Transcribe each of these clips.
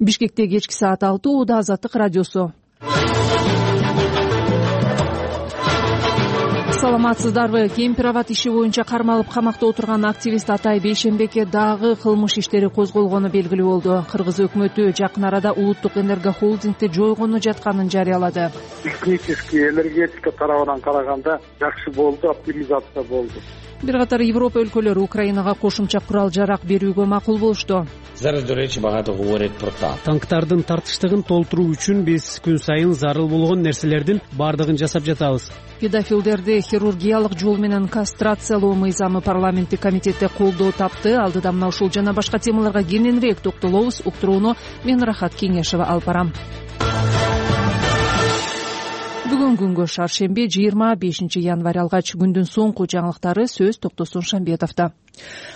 Бишкекте кечки саат 6 Ууда Азаттык радиосу. Саламатсыздарбы? Кемпир-абад иши боюнча кармалып камакта отурган активист Атай Бейшенбекке дагы кылмыш иштери козголгону белгилүү болду. Кыргыз өкмөтү жакын арада улуттук энергохолдингди жойгону жатканын жарыялады. Технический энергетика тарабынан караганда жакшы болду, оптимизация болду. Бир катар Европа өлкөлөрү Украинага кошумча курал-жарак берүүгө макул болушту. Танктардын тартыштыгын толтуруу үчүн биз күн сайын зарыл болгон нерселердин баардыгын жасап жатабыз. Педофилдерди хирургиялык жол менен кастрациялоо мыйзамы парламенттик комитетте колдоо тапты. Алдыда мына ушул жана башка темаларга кененирээк токтолобуз. Уктурууну мен Рахат Кеңешева алып барам. Бүгүн күнгө шаршемби 25 январь алгач күндүн соңку жаңылыктары сөз Токтосун Шамбетовдо.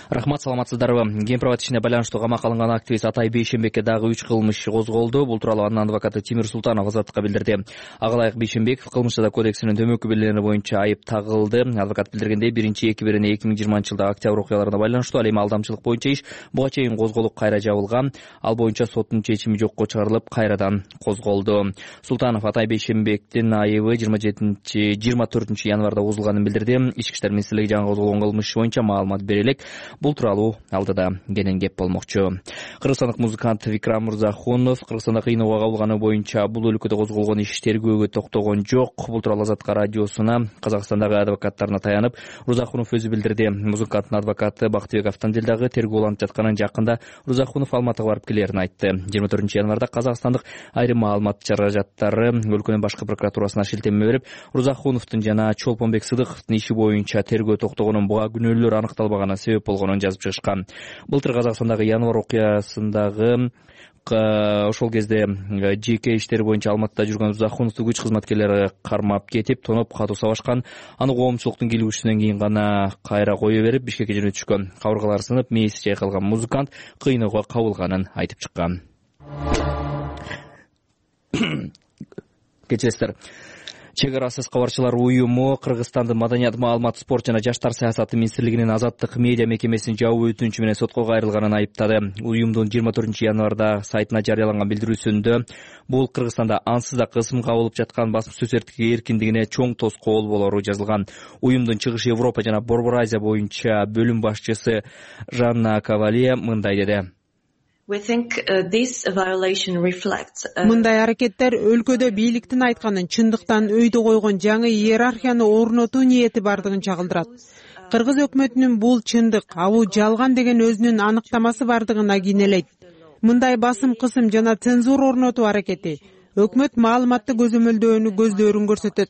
Рахмат, саламатсыздарбы? Кемпир-абад ишине байланыштуу камакка алынган активист Атай Бейшенбекке дагы 3 кылмыш иши козголду. Бул тууралуу анын адвокаты Тимир Султанов Азаттыкка билдирди. Агалайык Бейшенбеков кылмыш жаза кодексинин төмөнкү белгилери боюнча айып тагылды. Адвокат билдиргендей, 1-2-2020 жылдагы октябрь окуяларына байланыштуу ал эми алдамчылык боюнча иш буга чейин козголуп кайра жабылган. Ал боюнча соттун чечими жокко чыгарылып, кайрадан козголду. Султанов Атай Бейшенбектин айыбы 24 январда козулганын билдирди. Ички иштер министрлиги жаңы козголгон кылмыш боюнча маалымат бере элек. Бул тууралуу алдыда кенен кеп болмокчу. Кыргызстандык музыкант Викрам Мырзахунов Кыргызстанда кыйноого кабылганы боюнча бул өлкөдө козголгон иш тергөөгө токтогон жок. Бул тууралуу Азаттык радиосуна Казакстандагы адвокаттарына таянып Мырзахунов өзү билдирди. Музыканттын адвокаты Бактыбек Автандилдагы тергөө уланып жатканын жакында Мырзахунов Алматыга барып келерин айтты. 24 январда Казакстандык айрым маалымат чаражаттары өлкөнүн башкы прокуратурасына шилтеме берип, Мырзахуновдун жана Чолпонбек Сыдыковдун иши боюнча тергөө токтогонун, буга күнөөлөр аныкталбаганына себеп болгонун жазып чыгышкан. Былтыр Казакстандагы январь окуясындагы ошол кезде ЖК иштери боюнча Алматыда жүргөн Мырзахуновду күч кызматкерлери кармап кетип, тоноп катуу сабашкан. Аны коомчулуктун келүүсүнөн кийин гана кайра кое берип, Бишкекке жөнөтүшкөн. Кабыргалары сынып, мээси чайкалган музыкант кыйноого кабылганын айтып чыккан. Кечиресиздер. Чек арасыз кабарчылар уюму Кыргызстандын Маданият, маалымат, спорт жана жаштар саясаты министрлигинин Азаттык медиа мекемесин жабуу өтүнүчү менен сотко кайрылганын айыптады. Уюмдун 24 январда сайтына жарыяланган билдирүүсүндө бул Кыргызстанда ансыз да кысым кабылып жаткан басым сөз эркиндигине чоң тоскоол болору жазылган. Уюмдун Чыгыш Европа жана Борбор Азия боюнча бөлүм башчысы Жанна Кавалия мындай деди. Мындай аракеттер өлкөдө бийликтин айтканын чындыктан өйдө койгон жаңы иерархияны орнотуу ниети бардыгын чагылдырат. Кыргыз өкмөтүнүн бул чындык, а бул жалган деген өзүнүн аныктамасы бардыгына кийинелейт. Мындай басым, кысым жана цензура орнотуу аракети өкмөт маалыматты көзөмөлдөөнү көздөрүн көрсөтөт.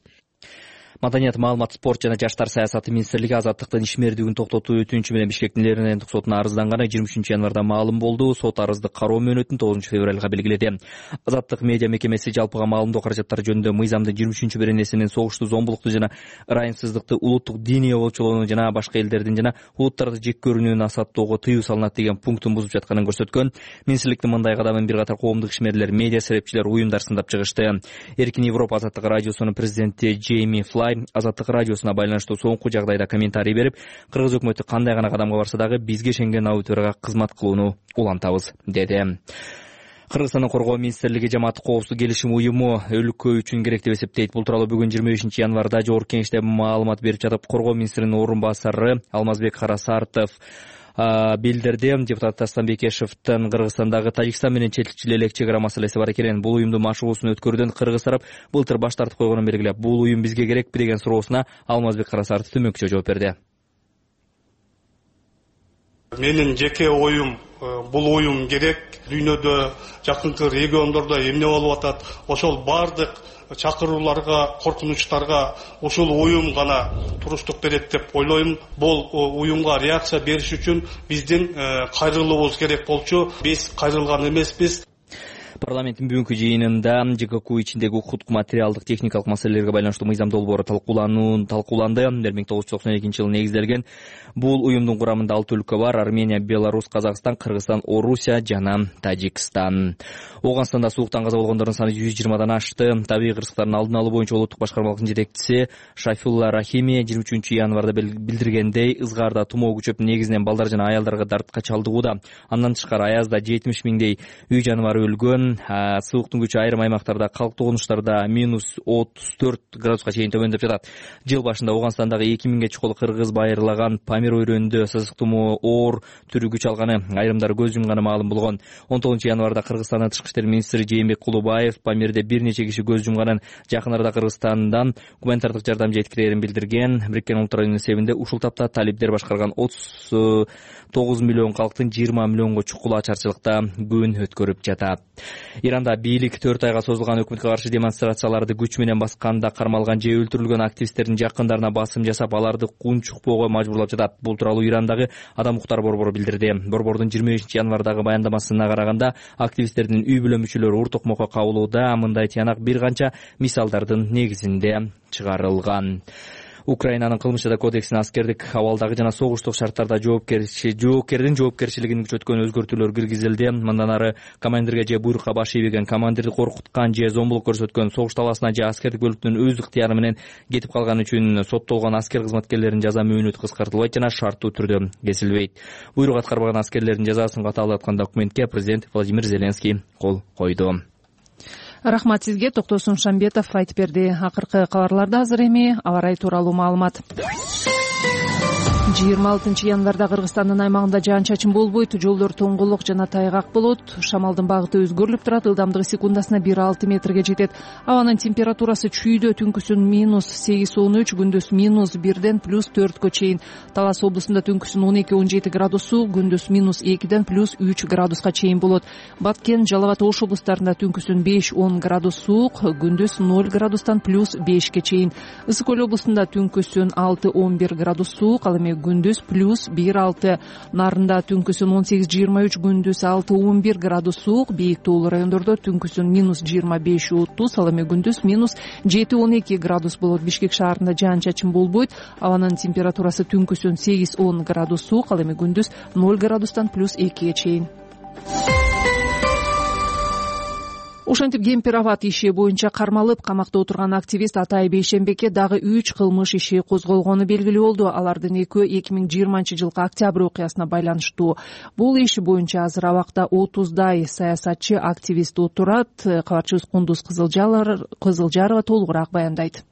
Маданият, маалымат, спорт жана жаштар саясаты министрлиги Азаттыктын ишмердүүлүгүн токтотуу өтүнүчү менен Бишкектин Лернендик сотуна арызданганы 23 январда маалым болду. Сот арызды кароо мөөнөтүн 9 февралга белгиледи. Азаттык медиа мекемеси жалпыга маалымдоо каражаттары жөнүндө мыйзамдын 23 беренесинин согушту, зомбулукту жана ырайымсыздыкты, улуттук диний обочолоону жана башка элдердин жана улуттарды жек көрүүнү насааттоого тыюу салынат деген пунктун бузуп жатканын көрсөткөн. Министрликтин мындай кадамын бир катар коомдук ишмерлер, медиа серепчилер, уюмдар сындап чыгышты. Эркин Европа Азаттык радиосунун президенти Джейми Флай Азаттык радиосуна байланыштуу соңку жагдайда комментарий берип, кыргыз өкмөтү кандай гана кадамга барса дагы бизге ишенген аудиторияга кызмат кылууну улантабыз, деди. Кыргызстандын коргоо министрлиги жамааттык коопсуздук келишим уюму өлкө үчүн керек деп эсептейт. Бул тууралуу бүгүн 25 январда Жогорку Кеңеште маалымат берип жатып, коргоо министринин орун басары Алмазбек Карасартов билдирди. Депутат Дастан Бекешевдин Кыргызстандагы Тажикстан менен чечилчү элек чек ара маселеси бар экенин, бул уюмдун машыгуусун өткөрүүдөн кыргыз тарап былтыр баш тартып койгонун белгилеп, бул уюм бизге керекпи деген суроосуна Алмазбек Карасартов төмөнкүчө жооп берди. Менин жеке оюм, бул уюм керек. Дүйнөдө, жакынкы региондордо эмне болуп атат, ошол бардык чакырууларга, коркунучтарга ушул уюм гана туруштук берет деп ойлойм. Бул уюмга реакция бериш үчүн биздин кайрылуубуз керек болчу. Биз кайрылган эмеспиз. Парламенттин бүгүнкү жыйынында ЖКК ичиндеги укуктук материалдык техникалык маселелерге байланыштуу мыйзам долбоору талкууланды. 1992 жылы негизделген бул уюмдун курамында 6 өлкө бар: Армения, Беларусь, Казакстан, Кыргызстан, Орусия жана Тажикстан. Ооганстанда сууктан каза болгондордун саны 120дан ашты. Табигый кырсыктардын алдын алуу боюнча улуттук башкармалыктын жетекчиси Шафилла Рахими 23 январда билдиргендей, ызгаарда тумоо күчөп, негизинен балдар жана аялдарга дартка чалдыгууда. Андан тышкары аязда 70 миңдей үй жаныбары өлгөн. Сууктун күчү айрым аймактарда, калктуу конуштарда -34 градуска чейин төмөндөп жатат. Жыл башында Ооганстандагы 2000ге чукул кыргыз байырлаган Памир өрөөнүндө сасык тумоо оор түрү күч алганы, айрымдары көз жумганы маалым болгон. 19 январда Кыргызстандын тышкы иштер министри Жээнбек Кулубаев Памирде бир нече киши көз жумганын, жакын арада Кыргызстандан гуманитардык жардам жеткирерин билдирген. Бириккен Улуттар Уюмунун эсебинде ушул тапта талибдер башкарган 39 миллион калктын 20 миллионго чукул ачарчылыкта күн өткөрүп жатат. Иранда бийлик 4 айга созулган өкмөткө каршы демонстрацияларды күч менен басканда кармалган же өлтүрүлгөн активисттердин жакындарына басым жасап, аларды кунчукпоого мажбурлап жатат. Бул тууралуу Ирандагы Адам укуктары борбору билдирди. Борбордун 25 январдагы баяндамасына караганда, активисттердин үй бүлө мүчөлөрү ур токмокко кабылууда. Мындай тыянак бир канча мисалдардын негизинде чыгарылган. Украинанын кылмыш жаза кодексине аскердик абалдагы жана согуштук шарттарда жоопкердин жоопкерчилигин күчөткөн өзгөртүүлөр киргизилди. Мындан ары командирге же буйрукка баш ийбеген, командирди коркуткан же зомбулук көрсөткөн, согуш талаасына же аскердик бөлүктүн өз ыктыяры менен кетип калганы үчүн соттолгон аскер кызматкерлеринин жаза мөөнөтү кыскартылбайт жана шарттуу түрдө кесилбейт. Буйрук аткарбаган аскерлердин жазасын катаалаткан документке президент Владимир Зеленский кол койду. Рахмат сизге. Токтосун Шамбетов айтып берди. Акыркы кабарларда азыр эми аба ырайы тууралуу маалымат. 26 январда Кыргызстандын аймагында жаан-чачын болбойт, жолдор тоңголок жана тайгак болот. Шамалдын багыты өзгөрүлүп турат, ылдамдыгы секундасына 1,6 метрге жетет. Абанын температурасы чүйдө түнкүсүн -8-13, күндүз -1ден +4кө чейин. Талас облусунда түнкүсүн 12-17 градус суук, күндүз -2ден +3 градуска чейин болот. Баткен, Жалал абад, Ош облустарында түнкүсүн 5-10 градус суук, күндүз 0 градустан +5ке чейин. Ысык көл облусунда түнкүсүн 6-11 градус суук, ал эми күндүз +1-6. Нарында түнкүсүн 18-23, күндүз 6-11 градус суук. Бийик тоолуу райондордо түнкүсүн -25-30, ал эми күндүз -7-12 градус болот. Бишкек шаарында жаан-чачын болбойт. Абанын температурасы түнкүсүн 8-10 градус суук, ал эми күндүз 0 градустан +2ге чейин. Ошентип Кемпир Абад иши боюнча кармалып камакта отурган активист Атай Бейшембекке дагы 3 кылмыш иши козголгону белгилүү болду. Алардын экөө 2020 жылкы октябрь окуясына байланыштуу. Бул иш боюнча азыр абакта 30дай саясатчы, активист отурат. Кабарчыбыз Кундуз Кызылжарова толугураак баяндайт.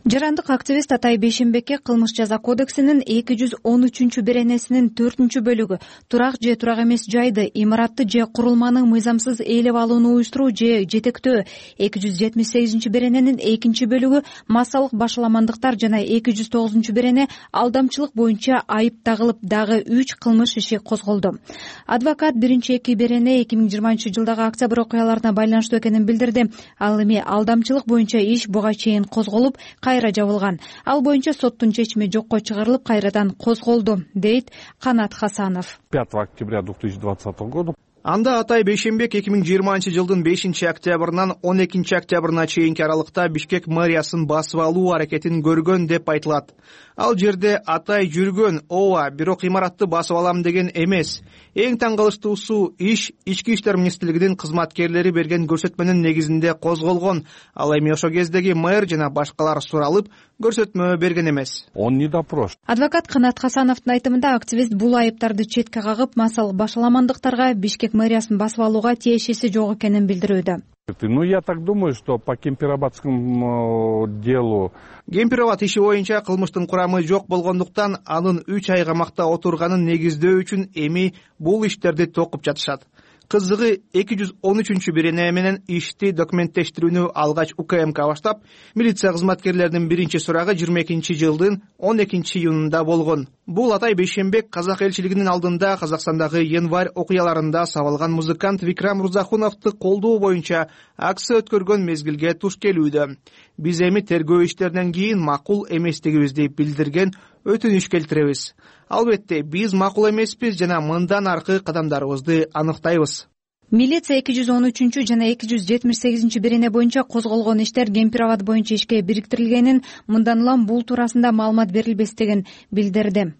Жарандык активист Атай Бейшембекке кылмыш жаза кодексинин 213-беренесинин 4-бөлүгү турак же турак эмес жайды, имаратты же курулманы мыйзамсыз ээлеп алууну уюштуруу же жетектөө, 278-берененин 2-бөлүгү массалык башаламандыктар жана 209-берене алдамчылык боюнча айып тагылып, дагы 3 кылмыш иши козголду. Адвокат 1-2 берене 2020 жылдагы октябрь окуяларына байланыштуу экенин билдирди. Ал эми алдамчылык боюнча иш буга чейин козголуп, кайра жабылган. Ал боюнча соттун чечими жокко чыгарылып, кайрадан козголду, дейт Канат Хасанов. 5 октября 2020 года Анда Атай Бейшембек 2020 жылдын 5 октябрынан 12 октябрына чейинки аралыкта Бишкек мэриясын басып алуу аракетин көргөн деп айтылат. Ал жерде Атай жүргөн, ооба, бирок имаратты басып алам деген эмес. Эң таң калыштуусу иш Ички иштер министрлигинин кызматкерлери берген көрсөтмөнүн негизинде козголгон. Ал эми ошо кездеги мэр жана башкалар суралып, көрсөтмө берген эмес. Он не допрошен. Адвокат Канат Хасановдун айтымында активист бул айыптарды четке кагып, массалык башаламандыктарга Бишкек мэриясын басып алууга тиешеси жок экенин билдирүүдө. Ну, я так думаю, что по Кемпир-Абадскому делу... Кемпир-Абад иши боюнча кылмыштын курамы жок болгондуктан анын 3 ай камакта отурганын негиздөө үчүн эми бул иштерди токуп жатышат. Кызыгы 213-берене менен ишти документтештирүүнү алгач УКМК баштап, милиция кызматкерлеринин биринчи сурагы 22 жылдын 12 июнунда болгон. Бул Атай Бейшембек казак элчилигинин алдында Казакстандагы январь окуяларында сабалган музыкант Викрам Рузахуновду колдоо боюнча акция өткөргөн мезгилге туш келүүдө. Биз эми тергөө иштеринен кийин макул эместигибизди билдирген өтүнүш келтиребиз. Албетте, биз макул эмеспиз жана мындан аркы кадамдарыбызды аныктайбыз. милиция 213 жана 278 берене боюнча козголгон иштер Кемпир-Абад боюнча ишке бириктирилгенин, мындан улам бул туурасында маалымат берилбестигин билдирди.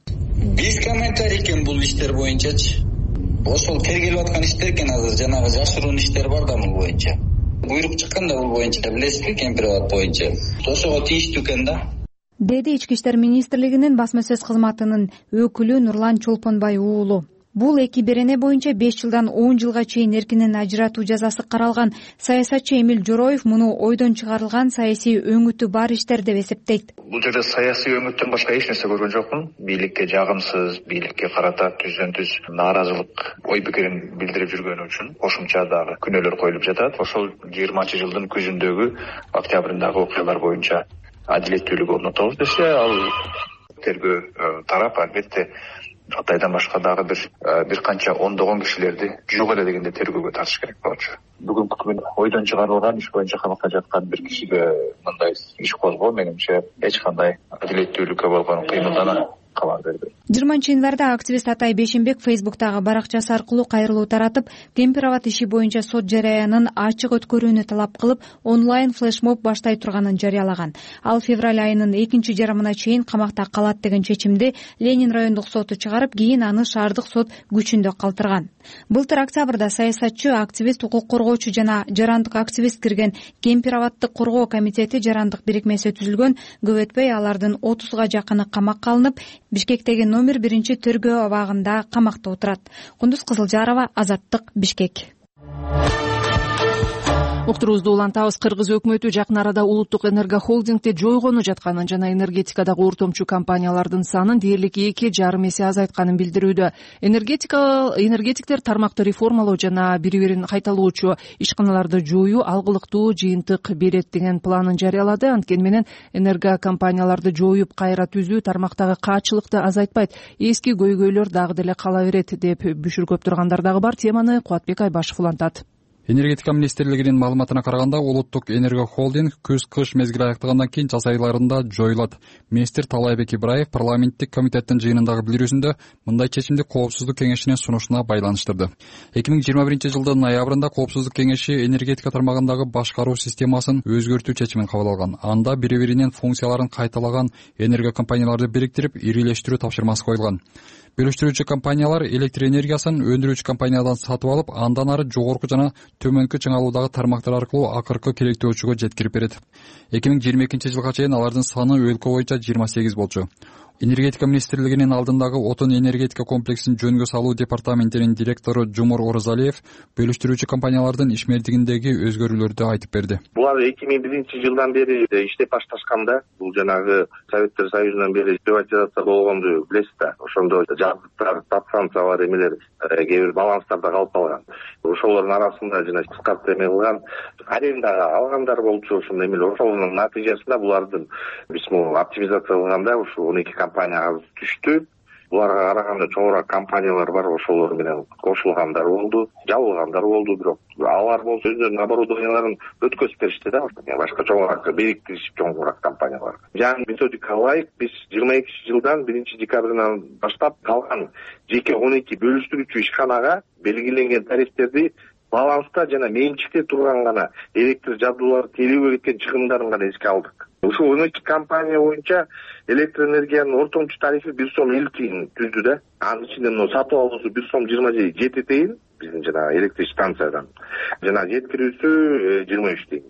Биз комментарий экен бул иштер боюнчачы. Ошол тергелип аткан иштер экен азыр, жанагы жашыруун иштер бар да бул боюнча. Буйрук чыккан да бул боюнча, билесизби, Кемпир-Абад боюнча. Ошого тийиштүү экен да. Деди Ички иштер министрлигинин басма сөз кызматынын өкүлү Нурлан Чолпонбай уулу. Бул эки берене боюнча 5 жылдан 10 жылга чейин эркинен ажыратуу жазасы каралган. Саясатчы Эмил Жороев муну ойдон чыгарылган саясий өңүтү бар иштер деп эсептейт. Бул жерде саясий өңүттөн башка эч нерсе көргөн жокмун. Бийликке жагымсыз, бийликке карата түздөн-түз нааразылык ой пикирин билдирип жүргөнү үчүн кошумча дагы күнөөлөр коюлуп жатат. Ошол 20-жылдын күзүндөгү, октябрындагы окуялар боюнча адилеттүүлүк орнотобуз десе, ал тергөө тарап албетте Атайдан башка дагы бир канча ондогон кишилерди жок эле дегенде тергөөгө тартыш керек болчу. Бүгүнкү күнү ойдон чыгарылган иш боюнча камакта жаткан бир кишиге мындай иш козгоо менимче эч кандай адилеттүүлүккө болгон кыймылдан кабар бербейт. 20-январда активист Атай Бейшенбек Фейсбуктагы баракчасы аркылуу кайрылуу таратып, Кемпир-Абад иши боюнча сот жараянын ачык өткөрүүнү талап кылып, онлайн флешмоб баштай турганын жарыялаган. Ал февраль айынын 2 жарымына чейин камакта калат деген чечимди Ленин райондук соту чыгарып, кийин аны шаардык сот күчүндө калтырган. Былтыр октябрда саясатчы, активист, укук коргоочу жана жарандык активист кирген Кемпир-Абадды коргоо комитети жарандык бирикмеси түзүлгөн. Көп өтпөй алардын 30га жакыны камакка алынып, Бишкектеги номер 1 тергөө абагында камакта отурат. Кундуз Кызылжарова, Азаттык, Бишкек. Уктуруубузду улантабыз. Кыргыз өкмөтү жакын арада улуттук энергохолдингде жойгону жатканын жана энергетикадагы ортомчу компаниялардын санын дээрлик 2,5 эсе азайтканын билдирүүдө. Энергетиктер тармакты реформалоо жана бири-бирин кайталоочу ишканаларды жоюу алгылыктуу жыйынтык берет деген планын жарыялады. Анткени менен энергокомпанияларды жоюп кайра түзүү тармактагы каачылыкты азайтпайт, эски көйгөйлөр дагы деле кала берет деп бүшүргөп тургандар дагы бар. Теманы Кубатбек Айбашев улантат. Энергетика министрлигинин маалыматына караганда, улуттук энергохолдинг күз-кыш мезгили аяктагандан кийин жаз айларында жоюлат. Министр Талайбек Ибраев парламенттик комитеттин жыйынындагы билдирүүсүндө мындай чечимди Коопсуздук кеңешинин сунушуна байланыштырды. 2021 жылдын ноябрында Коопсуздук кеңеши энергетика тармагындагы башкаруу системасын өзгөртүү чечимин кабыл алган. Анда бири-биринин функцияларын кайталаган энергокомпанияларды бириктирип, ирилештирүү тапшырмасы коюлган. Бөлүштүрүүчү компаниялар электр энергиясын өндүрүүчү компаниядан сатып алып, андан ары жогорку жана төмөнкү чыңалуудагы тармактар аркылуу акыркы келектөөчүгө жеткирип берет. 2022 жылга чейин алардын саны өлкө боюнча 28 болчу. Энергетика министрлигинин алдындагы отун энергетика комплексин жөнгө салуу департаментинин директору Жумур Орозалиев бөлүштүрүүчү компаниялардын ишмердигиндеги өзгөрүүлөрдү айтып берди. Булар 2001 жылдан бери иштеп башташканда, бул жанагы Советтер Союзунан бери приватизация болгонду билесиз да. Ошондо жаздыктар, подстанциялар эмелер, кээ бир баланстарда калып калган. Ошолордун арасында жана кыскартып эме кылган арендага алгандар болчу. Ошондой эмелер, ошонун натыйжасында булардын биз оптимизация кылганда ушу 12 компания түштү. Буларга караганда чоңураак компаниялар бар, ошолор менен кошулгандар болду, жабылгандар болду, бирок алар болсо өздөрүнүн оборудованияларын өткөзүп беришти да, башка чоңураак бириктиришип чоңураак компаниялар. Жаңы методика ылайык биз 22 жылдан 1 декабрынан баштап калган жеке 12 бөлүштүрүүчү ишканага белгиленген тарифтерди баланста жана менчикте турган гана электр жабдуулары телүүгө кеткен чыгымдарын гана эске алдык. Ушул 12 компания боюнча электр энергиянын ортомчу тарифи 1 сом 50 тиын түздү да. Анын ичинде сатып алуусу 1 сом 27 тиын биздин жана электр станциядан. Жана жеткирүүсү 23 тиын.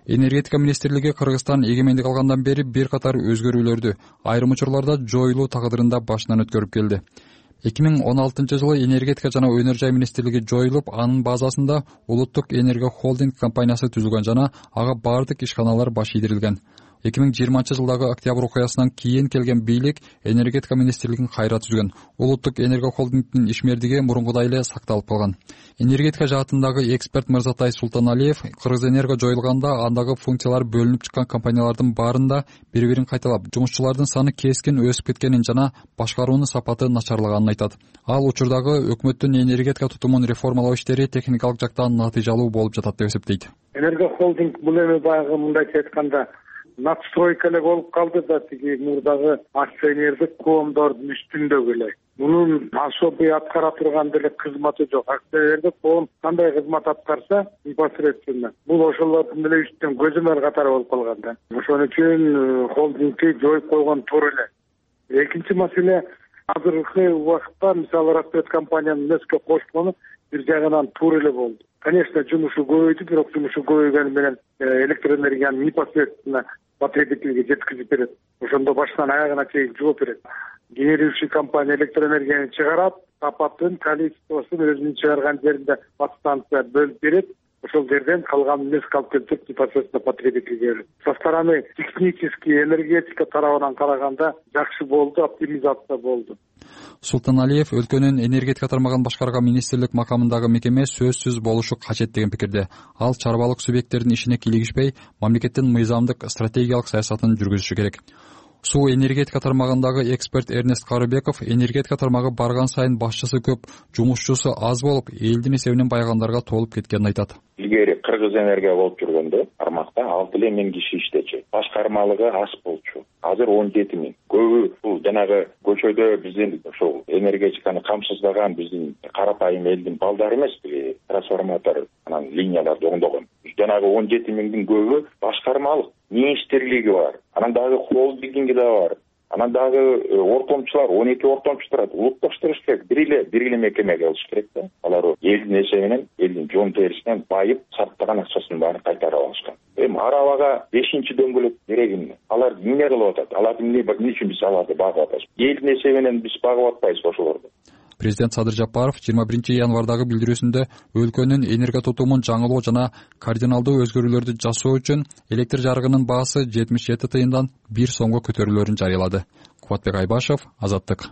Энергетика министрлиги Кыргызстан эгемендик алгандан бери бир катар өзгөрүүлөрдү, айрым учурларда жоюлуу тагдырында башынан өткөрүп келди. 2016 жылы энергетика жана өнөр жай министрлиги жоюлуп, анын базасында улуттук энергохолдинг компаниясы түзүлгөн жана ага бардык ишканалар баш ийдирилген. 2020 жылдагы октябрь окуясынан кийин келген бийлик энергетика министрлигин кайра түзгөн. Улуттук энергохолдингдин ишмердиги мурункудай эле сакталып калган. Энергетика жаатындагы эксперт Мырзатай Султаналиев Кыргызэнерго жоюлганда андагы функциялар бөлүнүп чыккан компаниялардын баарында бири-бирин кайталап, жумушчулардын саны кескин өсүп кеткенин жана башкаруунун сапаты начарлаганын айтат. Ал учурдагы өкмөттүн энергетика тутумун реформалоо иштери техникалык жактан натыйжалуу болуп жатат деп эсептейт. Энергохолдинг бул эми баягы мындайча айтканда надстройка эле болуп калды да тиги мурдагы акционердик коомдордун үстүндөгү эле. Мунун особый аткара турган деле кызматы жок. Акционердик коом кандай кызмат аткарса непосредственно бул ошолордун эле үстүнөн көзөмөл катары болуп калган да. Ошон үчүн холдингди жоюп койгон туура эле. Экинчи маселе, азыркы убакытта мисалы расчет компаниянын мөскө кошкону бир жагынан туура эле болду. Конечно, жумушу көбөйдү, бирок жумушу көбөйгөнү менен электроэнергияны непосредственно потребительге жеткизип берет. Ошондо башынан аягына чейин жооп берет. Генерирующий компания электроэнергияны чыгарат, сапатын, количествосун өзүнүн чыгарган жеринде подстанция бөлүп берет. Ошол жерден калганын мезк алып келип непосредственно потребительге берет. Со стороны технически энергетика тарабынан караганда жакшы болду, оптимизация болду. Султаналиев өлкөнүн энергетика тармагын башкарган министрлик макамындагы мекеме сөзсүз болушу качет деген пикирде. Ал чарбалык субъекттердин ишине кийлигишпей, мамлекеттин мыйзамдык стратегиялык саясатын жүргүзүшү керек. Суу энергетика тармагындагы эксперт Эрнест Карыбеков энергетика тармагы барган сайын башчысы көп, жумушчусу аз болуп, элдин эсебинен байыгандарга толуп кеткенин айтат. Илгери Кыргыз энергия болуп жүргөндө тармакта 6,000 киши иштечү. Башкармалыгы аз болчу. Азыр 17,000. Көбү бул жанагы көчөдө биздин ошол энергетиканы камсыздаган биздин карапайым элдин балдары эмеспи, трансформатор анан линияларды оңдогон. Жанагы 17,000дин көбү башкармалык, министрлиги бар. Анан дагы холдинги да бар. Анан дагы ортомчулар 12 ортомчу турат. Улутташтырыш керек. Бир эле мекемеге алыш керек да. Алар элдин эсебинен, элдин жон терисинен байып, сарптаган акчасын баарын кайтарып алышкан. Арабага 5-чи дөңгөлөк керек эмне? Алар эмне кылып атат? Аларды эмне үчүн биз аларды багып атабыз? Элдин эсебинен биз багып атпайбыз ошолорду. Президент Садыр Жапаров 21 январдагы билдирүүсүндө өлкөнүн энергия тутумун жаңылоо жана кардиналдуу өзгөрүүлөрдү жасоо үчүн электр жарыгынын баасы 77 тыйындан 1 сомго көтөрүлөөрүн жарыялады. Кубатбек Айбашев, Азаттык.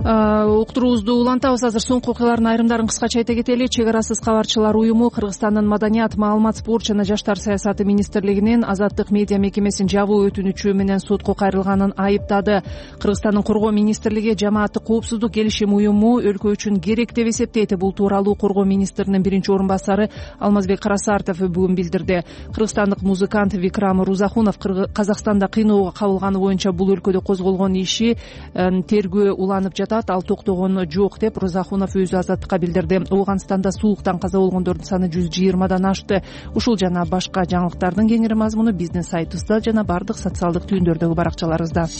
Уктуруубузду улантабыз. Азыр соңку окуялардын айрымдарын кыскача айта кетели. Чек арасыз кабарчылар уюму Кыргызстандын Маданият, маалымат, спорт жана жаштар саясаты министрлигинин Азаттык медиа мекемесин жабуу өтүнүчү менен сотко кайрылганын айыптады. Кыргызстандын Коргоо министрлиги жамааттык коопсуздук келишим уюму өлкө үчүн керек деп эсептейт. Бул тууралуу Коргоо министринин биринчи орун басары Алмазбек Карасартов бүгүн билдирди. Кыргызстандык музыкант Викрам Рузахунов Казакстанда кыйноого кабылганы боюнча бул өлкөдө козголгон иши тергөө уланып жатат. Ал токтогон жок деп Рузахунов өзү Азаттыкка билдирди. Ооганстанда суулуктан каза болгондордун саны 120дан ашты. Ушул жана башка жаңылыктардын кеңири мазмуну биздин сайтыбызда жана бардык социалдык түйүндөрдөгү баракчаларыбызда.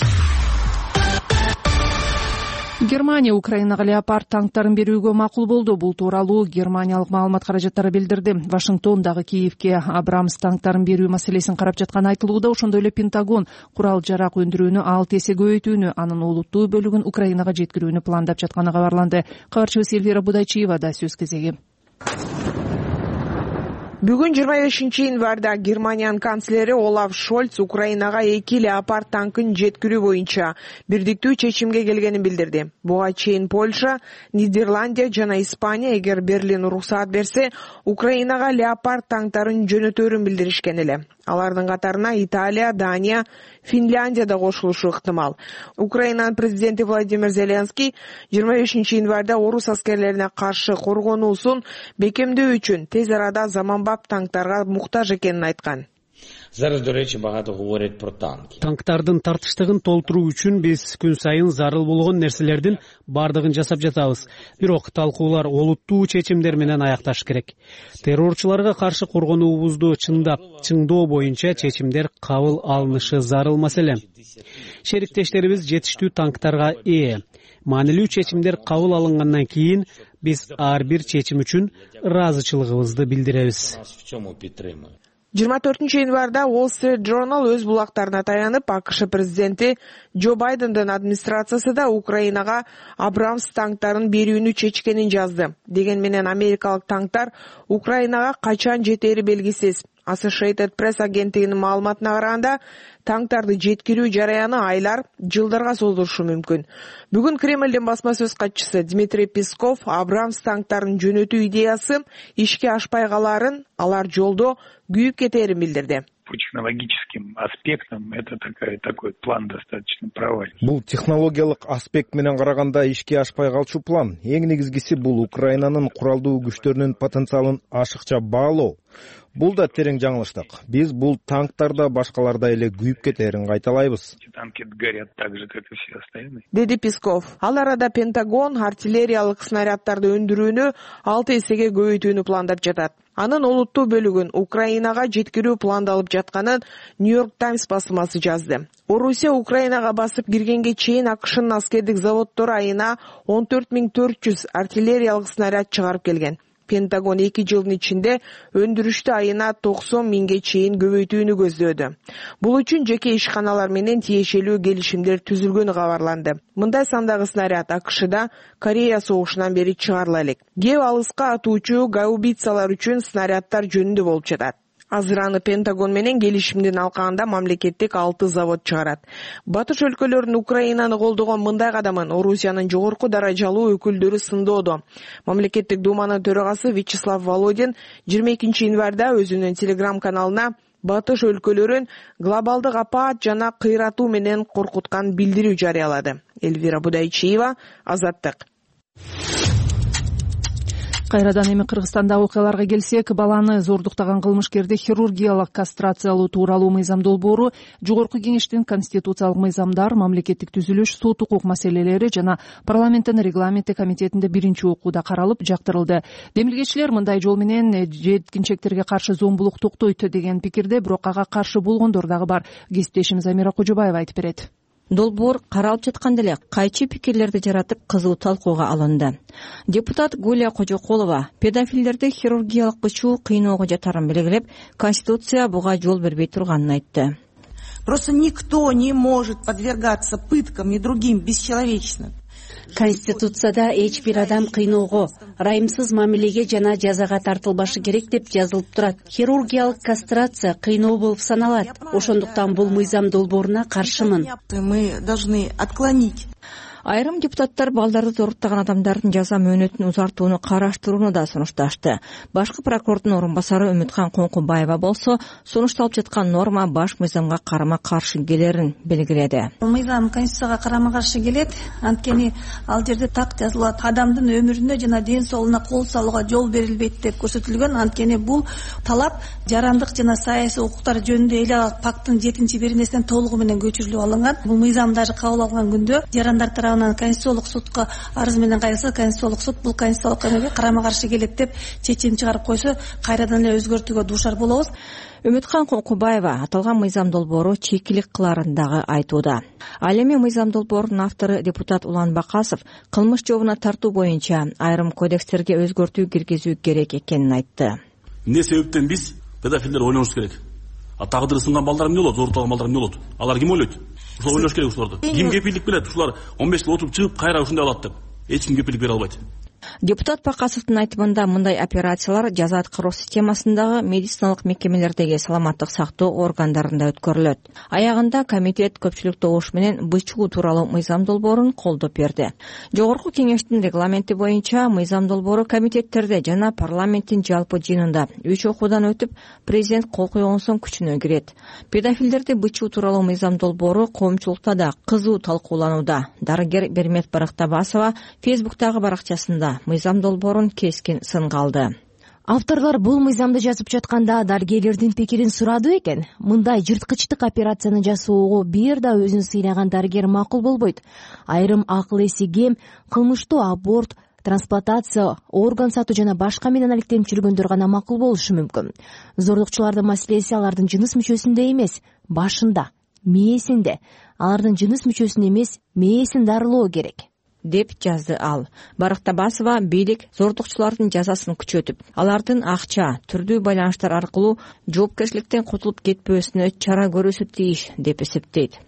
Германия Украинага Леопард танктарын берүүгө макул болду. Бул тууралуу германиялык маалымат каражаттары билдирди. Вашингтон дагы Киевке Абрамс танктарын берүү маселесин карап жатканы айтылууда. Ошондой эле Пентагон курал-жарак өндүрүүнү 6 эсе көбөйтүүнү, анын олуттуу бөлүгүн Украинага жеткирүүнү пландап жатканы кабарланды. Кабарчыбыз Эльвира Будайчиевада сөз кезеги. Бүгүн 25-январда Германиянын канцлери Олаф Шольц Украинага 2 Леопард танкын жеткирүү боюнча бирдиктүү чечимге келгенин билдирди. Буга чейин Польша, Нидерландия жана Испания эгер Берлин уруксаат берсе, Украинага Леопард танктарын жөнөтөөрүн билдиришкен эле. Алардын катарына Италия, Дания, Финляндия да кошулушу ыктымал. Украинанын президенти Владимир Зеленский 25-январда орус аскерлерине каршы коргонуусун бекемдөө үчүн тез арада заманбап танктарга муктаж экенин айткан. Зараз, до речи, багато говорять про танки. Танктардын тартыштыгын толтуруу үчүн биз күн сайын зарыл болгон нерселердин бардыгын жасап жатабыз. Бирок талкуулар олуттуу чечимдер менен аякташ керек. Террорчуларга каршы коргонуубузду чыңдоо боюнча чечимдер кабыл алынышы зарыл маселе. Шериктештерибиз жетиштүү танктарга ээ. Маанилүү чечимдер кабыл алынгандан кийин биз ар бир чечим үчүн ыраазычылыгыбызды билдиребиз. 24-январда Wall Street Journal өз булактарына таянып, АКШ президенти Джо Байдендин администрациясы да Украинага Абрамс танктарын берүүнү чечкенин жазды. Деген менен америкалык танктар Украинага качан жетери белгисиз. Associated Press агенттигинин маалыматына караганда, танктарды жеткирүү жараяны айлар, жылдарга созулушу мүмкүн. Бүгүн Кремлдин басма сөз катчысы Дмитрий Песков Абрамс танктарын жөнөтүү идеясы ишке ашпай каларын, алар жолдо күйүп кетерин билдирди. По технологическим аспектам это такой план достаточно провальный. Бул технологиялык аспект менен караганда ишке ашпай калчу план. Эң негизгиси бул Украинанын куралдуу күчтөрүнүн потенциалын ашыкча баалоо. Бул да терең жаңылыштык. Биз бул танктарда башкалардай эле күйүп кетерин кайталайбыз. Танки горят так же, как и все остальные. Деди Песков. Ал арада Пентагон артиллериялык снаряддарды өндүрүүнү 6 эсеге көбөйтүүнү пландап жатат. Анын олуттуу бөлүгүн Украинага жеткирүү пландалып жатканын Нью-Йорк Таймс басылмасы жазды. Орусия Украинага басып киргенге чейин АКШнын аскердик заводдору айына 14400 артиллериялык снаряд чыгарып келген. Пентагон 2 жылдын ичинде өндүрүштү айына 90 миңге чейин көбөйтүүнү көздөөдү. Бул үчүн жеке ишканалар менен тиешелүү келишимдер түзүлгөнү кабарланды. Мындай сандагы снаряд АКШда Корея согушунан бери чыгарыла элек. Кеп алыска атуучу гаубицалар үчүн снаряддар жөнүндө болуп жатат. Азыр аны Пентагон менен келишимдин алкагында мамлекеттик 6 завод чыгарат. Батыш өлкөлөрүнүн Украинаны колдогон мындай кадамын Орусиянын жогорку даражалуу өкүлдөрү сындоодо. Мамлекеттик думанын төрагасы Вячеслав Володин 22 январда өзүнүн телеграм-каналына Батыш өлкөлөрүн глобалдык апаат жана кыйратуу менен коркуткан билдирүү жарыялады. Элвира Будайчиева, Азаттык. Кайрадан эми Кыргызстанда окуяларга келсек, баланы зордуктаган кылмышкерди хирургиялык кастрациялоо тууралуу мыйзам долбоору Жогорку Кеңештин конституциялык мыйзамдар, мамлекеттик түзүлүш, сот укук маселелери жана парламенттин регламенти комитетинде биринчи окууда каралып, жактырылды. Демилгечилер мындай жол менен жеткинчектерге каршы зомбулук токтойт деген пикирде, бирок ага каршы болгондор дагы бар. Кесиптешimiz Амира Кожобаева айтып берет. Долбоор каралып жатканда эле кайчы пикирлерди жаратып кызуу талкууга алынды. Депутат Гулия Кожоколова педофилдерди хирургиялык бычуу кыйноого жатарын белгилеп, Конституция буга жол бербей турганын айтты. Просто никто не может подвергаться пыткам и другим бесчеловечным. Конституцияда эч бир адам кыйноого, ырайымсыз мамилеге жана жазага тартылбашы керек деп жазылып турат. Хирургиялык кастрация кыйноо болуп саналат. Ошондуктан бул мыйзам долбооруна каршымын. Мы должны отклонить. Айрым депутаттар балдарды зоруктаган адамдардын жаза мөөнөтүн узартууну караштырууну да сунушташты. Башкы прокурордун орун басары Үмүткан Коңкубаева болсо, сунушталып жаткан норма баш мыйзамга карама-каршы келерин белгиледи. Мыйзам Конституцияга карама-каршы келет, анткени ал жерде так жазылат: адамдын өмүрүнө жана ден соолугуна кол салууга жол берилбейт деп көрсөтүлгөн. Анткени бул талап жарандык жана саясий укуктар жөнүндө эл пакттын 7-беренесинен толугу менен көчүрүлүп алынган. Бул мыйзам даже кабыл алынган күндө жарандар Конституциялык сотко арыз менен кайрылса, Конституциялык суд бул конституциялык эмеге карама-каршы келет деп чечим чыгарып койсо, кайрадан эле өзгөртүүгө дуушар болобуз. Үмүткан Коңкубаева аталган мыйзам долбоору чекилик кыларын дагы айтууда. Ал эми мыйзам долбоорунун автору депутат Улан Бакасов кылмыш жообуна тартуу боюнча айрым кодекстерге өзгөртүү киргизүү керек экенин айтты. Эмне себептен биз педофилдер ойлонуш керек? Тагдыры сынган балдар эмне болот, зордукталган балдар эмне болот? Алар ким ойлойт? Ушул ойлош керек ушуларды. Ким кепилдик берет? Ушулар 15 жыл отуруп чыгып кайра ушундай алат деп. Эч ким кепилдик бере албайт. Депутат Бакасовдун айтымында мындай операциялар жаза аткаруу системасындагы медициналык мекемелердеги саламаттык сактоо органдарында өткөрүлөт. Аягында комитет көпчүлүк добуш менен бычуу тууралуу мыйзам долбоорун колдоп берди. Жогорку Кеңештин регламенти боюнча мыйзам долбоору комитеттерде жана парламенттин жалпы жыйынында 3 окуудан өтүп, президент кол койгон соң күчүнө кирет. Педофилдерди бычуу тууралуу мыйзам долбоору коомчулукта да кызуу талкууланууда. Дарыгер Бермет Барактабасова Фейсбуктагы баракчасында мыйзам долбоорун кескин сынга алды. Авторлор бул мыйзамды жазып жатканда дарыгерлердин пикирин сурады экен. Мындай жырткычтык операцияны жасоого бир да өзүн сыйнаган дарыгер макул болбойт. Айрым акыл эси кем кылмыштуу аборт, трансплантация, орган сатуу жана башка менен алектенип жүргөндөр гана макул болушу мүмкүн. Зордукчулардын маселеси алардын жыныс мүчөсүндө эмес, башында, мээсинде. Алардын жыныс мүчөсүн эмес, мээсин дарылоо керек деп жазды ал. Барактабасова бийлик зордукчулардын жазасын күчөтүп, алардын акча, түрдүү байланыштар аркылуу жоопкерчиликтен кутулуп кетпөөсүнө чара көрүшү тийиш деп эсептейт.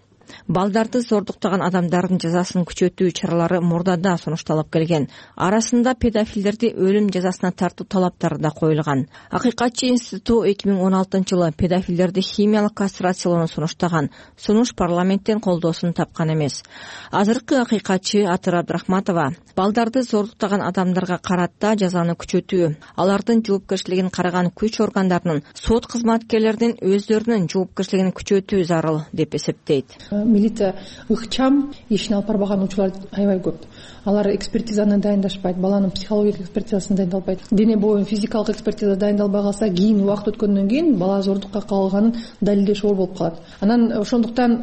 Балдарды зордуктаган адамдардын жазасын күчөтүү чаралары мурдада сунушталып келген. Арасында педофилдерди өлүм жазасына тартуу талаптары да коюлган. Акыйкатчы институту 2016-жылы педофилдерди химиялык кастрациялоону сунуштаган. Сунуш парламенттен колдоосун тапкан эмес. Азыркы акыйкатчы Атыр Абдрахматова балдарды зордуктаган адамдарга карата жазаны күчөтүү, алардын жоопкерчилигин караган күч органдарынын, сот кызматкерлеринин өздөрүнүн жоопкерчилигин күчөтүү зарыл деп эсептейт. милиция ыкчам ишин алып барбаган учурлар аябай көп. Алар экспертизаны дайындашпайт, баланын психологиялык экспертизасы дайындалбайт, дене боюнун физикалык экспертиза дайындалбай калса, кийин убакыт өткөндөн кийин бала зордукка кабылганын далилдеш оор болуп калат. Анан ошондуктан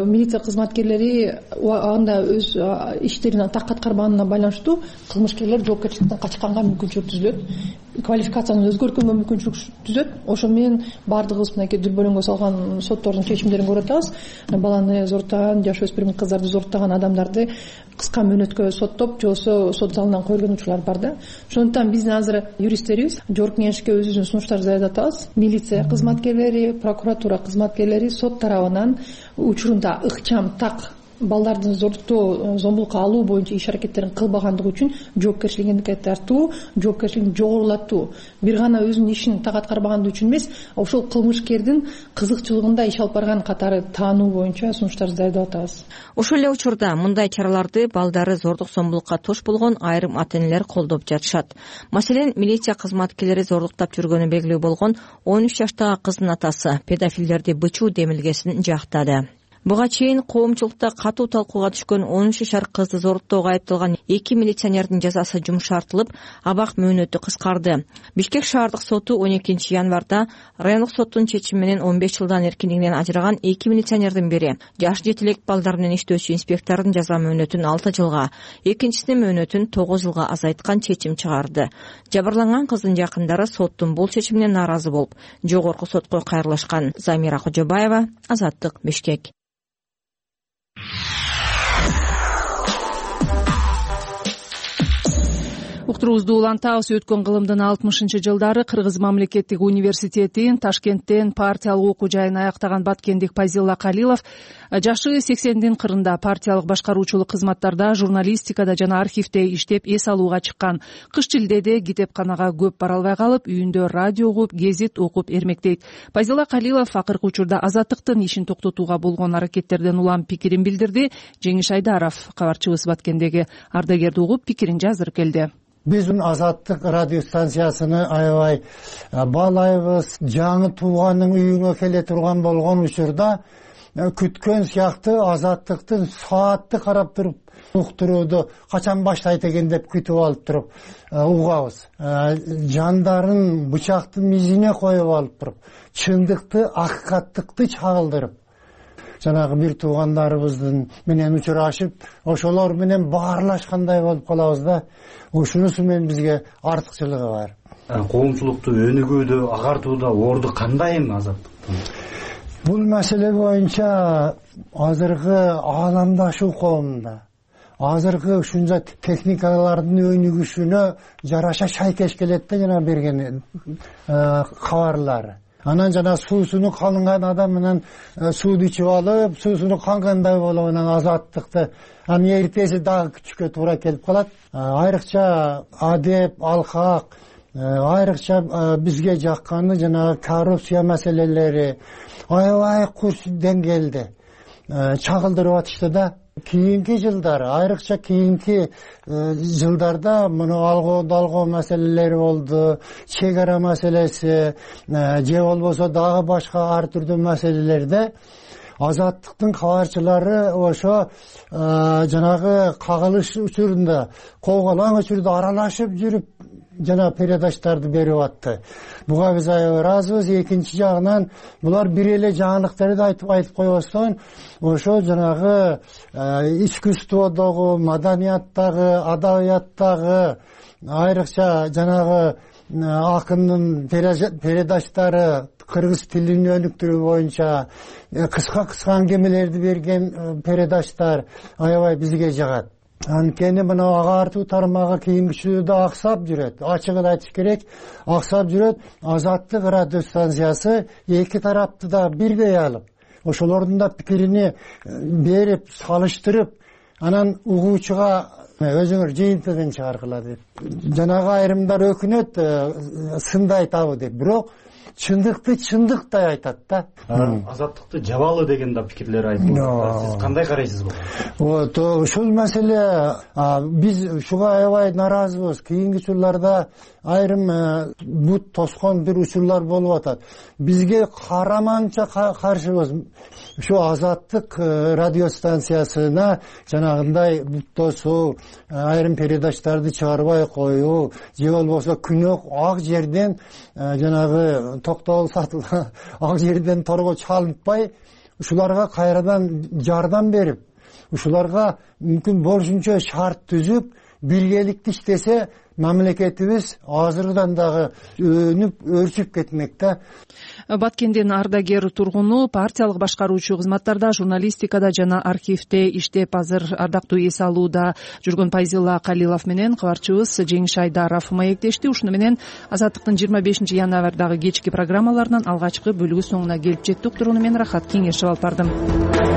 милиция кызматкерлери анда өз иштерин так аткарбаганына байланыштуу кылмышкерлер жоопкерчиликтен качканга мүмкүнчүлүк түзүлөт, квалификацияны өзгөрткөнгө мүмкүнчүлүк түзөт. Ошо менен баардыгыбыз мынакей дүрбөлөңгө салган соттордун чечимдерин көрүп атабыз. Баланы зордтаган, жаш өспүрүм кыздарды зордтаган адамдарды кыска мөөнөткө соттоп, же болбосо сот залынан койгон учурлар бар да. Ошондуктан биздин азыр юристтерибиз жогорку кеңешке өзүбүздүн сунуштарды даярдап атабыз. Милиция кызматкерлери, прокуратура кызматкерлери сот тарабынан учурунда ыкчам, так балдардын зордуктоо, зомбулукка алуу боюнча иш аракеттерин кылбагандыгы үчүн жоопкерчиликке тартуу, жоопкерчилигин жогорулатуу. Бир гана өзүнүн ишин так аткарбагандыгы үчүн эмес, ошол кылмышкердин кызыкчылыгында иш алып барган катары таануу боюнча сунуштарды даярдап атабыз. Ошол эле учурда мындай чараларды балдары зордук зомбулукка тош болгон айрым ата-энелер колдоп жатышат. Маселен, милиция кызматкерлери зордуктап жүргөнү белгилүү болгон 13 жаштагы кыздын атасы педофилдерди бычуу демилгесин жактады. Буга чейин коомчулукта катуу талкууга түшкөн 13 жашар кызды зордуктоого айыпталган 2 милиционердин жазасы жумшартылып, абак мөөнөтү кыскарды. Бишкек шаардык соту 12 январда райондук соттун чечими менен 15 жылдан эркиндигинен ажыраган 2 милиционердин бири жаш жетилек балдар менен иштөөчү инспектордун жаза мөөнөтүн 6 жылга, экинчисинин мөөнөтүн 9 жылга азайткан чечим чыгарды. Жабырланган кыздын жакындары соттун бул чечимине нааразы болуп, жогорку сотко кайрылышкан. Замира Кожобаева, Азаттык, Бишкек. Уктуруубузду улантабыз. Өткөн кылымдын 60-жылдары Кыргыз мамлекеттик университетин Ташкенттен партиялык окуу жайын аяктаган баткендик Пайзилла Калилов жашы 80-дин кырында партиялык башкаруучулук кызматтарда, журналистикада жана архивде иштеп эс алууга чыккан. Кыш жылдеде китепканага көп бара албай калып, үйүндө радио угуп, гезит окуп эрмектейт. Пайзилла Калилов акыркы учурда Азаттыктын ишин токтотууга болгон аракеттерден улам пикирин билдирди. Жеңиш Айдаров, кабарчыбыз Баткендеги ардагерди угуп, пикирин жаздырып келди. Биздин Азаттык радио станциясыны аябай баалайбыз. Жаңы тууганын үйүңө келе турган болгон учурда күткөн сыяктуу Азаттыктын саатты карап туруп уктурууду качан баштайт экен деп күтүп алып туруп угабыз. Жандарын бычактын мизине коюп алып туруп, чындыкты, акыкаттыкты чагылдырып, жанагы бир туугандарыбыздын менен учурашып, ошолор менен баарлашкандай болуп калабыз да. Ушунусу менен бизге артыкчылыгы бар. Коомчулукту өнүгүүдө, агартууда орду кандай эми Азаттыктын? Бул маселе боюнча азыркы ааламдашуу коомунда, азыркы ушунча техникалардын өнүгүшүнө жараша шайкеш келет да жана берген кабарлары. Анан жана суусуну калынган адам менен сууду ичип алып, суусуну кангандай болуп, анан Азаттыкты анын эртеси дагы күтүшкө туура келип калат. Айрыкча адеп, алкак, айрыкча бизге жакканы жана коррупция маселелери аябай курч деңгээлде чагылдырып атышты да. Кийинки жылдары, айрыкча кийинки жылдарда муну алгоо маселелери болду, чек ара маселеси, же болбосо дагы башка ар түрдүү маселелерде Азаттыктын кабарчылары ошо жанагы кагылыш учурунда, кооголаң учурда аралашып жүрүп жана передачтарды берип атты. Буга биз аябай ыраазыбыз. Экинчи жагынан булар бир эле жаңылыктарды айтып койбостон, ошо жанагы искусстводогу, маданияттагы, адабияттагы, айрыкча жанагы акындын передачтары, кыргыз тилин өнүктүрүү боюнча кыска аңгемелерди берген передачтар аябай бизге жагат. Анткени мына агартуу тармагы кийинкичүүдө аксап жүрөт. Ачыгын айтыш керек, аксап жүрөт. Азаттык радио станциясы эки тарапты да бирдей алып, ошолордун да пикирини берип, салыштырып, анан угуучуга өзүңөр жыйынтыгын чыгаргыла деп. Жанагы айрымдар өкүнөт, сынды айтабы деп. Бирок чындыкты чындыктай айтат да. Азаттыкты жабалы деген да пикирлер айтылат. Сиз кандай карайсыз буга? Вот ушул маселе биз ушуга аябай нааразыбыз. Кийинки учурларда айрым бут тоскон бир учурлар болуп атат. Бизге караманча каршыбыз. Ушу Азаттык радиостанциясына жанагындай бут тосуу, айрым передачтарды чыгарбай коюу, же болбосо күнөө ак жерден жанагы токтогул сатылган ак жерден торго чалынтпай, ушуларга кайрадан жардам берип, ушуларга мүмкүн болушунча шарт түзүп, биргеликте иштесе, мамлекетибиз азырдан дагы өнүп өрчүп кетмек да. Баткендин ардагер тургуну, партиялык башкаруучу кызматтарда, журналистикада жана архивде иштеп, азыр ардактуу эс алууда жүргөн Пайзилла Калилов менен кабарчыбыз Жеңиш Айдаров маектешти. Ушуну менен Азаттыктын 25-январдагы кечки программаларынын алгачкы бөлүгү соңуна келип жеттик. Туруну мен Рахат Кеңешев алып бардым.